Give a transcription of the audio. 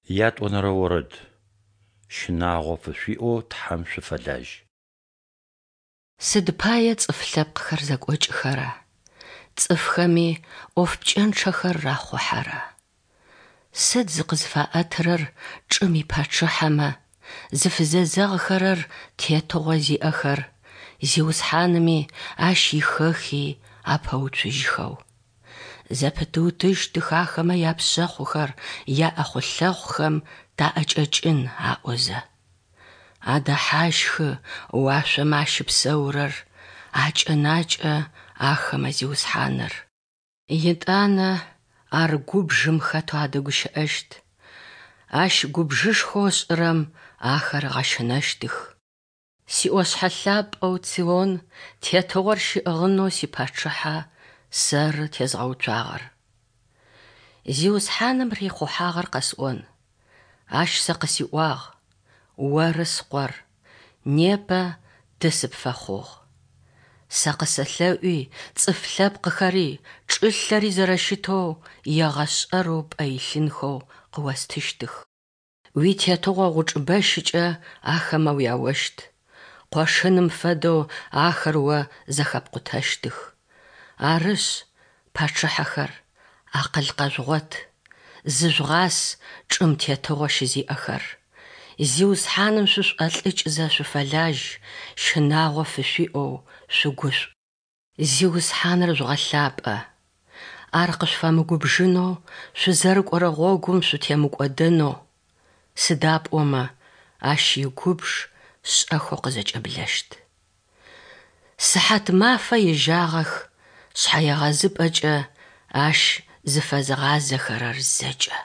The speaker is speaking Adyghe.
Ятӏонэрэ орэд. Щынагъо фышъуиӏэу Тхьэм шъуфэлажь. Сыд пае цӏыф лъэпкъхэр зэкӏокӏыхэра, цӏыфхэми ӏоф пкӏэнчъэхэр рахъухьэра? Сыд зыкъызфаӏэтырэр чӏым ипачъыхьэмэ, зыфызэзэгъхэрэр тетыгъо зиӏэхэр, Зиусхьаными Ащ ихэхи апэуцужьхэу? Зэпытыутыщтых ахэмэ япшъэхъухэр, яӏэхъулъэхъухэм таӏэкӏэкӏын аӏозэ. Адэхьащхы уашъомэ ащыпсэурэр, акӏэнакӏэ ахэмэ Зиусхьаныр. Етӏанэ ар губжым хэтэу адэгущыӏэщт, Ащ губжышхоу ышӏырэм ахэр ыгъэщынэщтых. Сиӏошъхьэ лъапӏэу Цион тетыгъор щиӏыгъынэу сипачъыхьэ сэры тезгъэуцуагъэр. Зиусхьаным рихъухьагъэр къэсӏон. Ащ сэ къысиӏуагъ, Оры Скъор, непэ Ты сыпфэхъугъ. Сэ къысэлъэӏуи, цӏыф лъэпкъхэри, чӏылъэри зэрэщытэу егъэшӏэрэу пӏэ илъынхэу къыостыщтых. Уитетыгъо гъучӏ бэщыкӏэ ахэмэ уяощт, къошыным фэдэу ахэр о зэхэпкъутэщтых. Арышъ, пачъыхьэхэр, акъыл къэжъугъот, зыжъугъас чӏым тетыгъо щызиӏэхэр. Зиусхьаным шъушӏолӏыкӏзэ шъуфэлажь, щынагъо фышъуиӏэу шъугушӏу. Зиусхьаныр жъугъэлъапӏэ. Ар къышъуфэмыгубжынэу, шъузэрыкӏорэ гъогум шъутемыкӏодэнэу, сыда пӏомэ Ащ игубж шӏэхэу къызэкӏэблэщт. Сыхьатмафэ ежьагъэх шъхьэегъэзыпӏэкӏэ Ащ зыфэзыгъазэхэрэр зэкӏэ.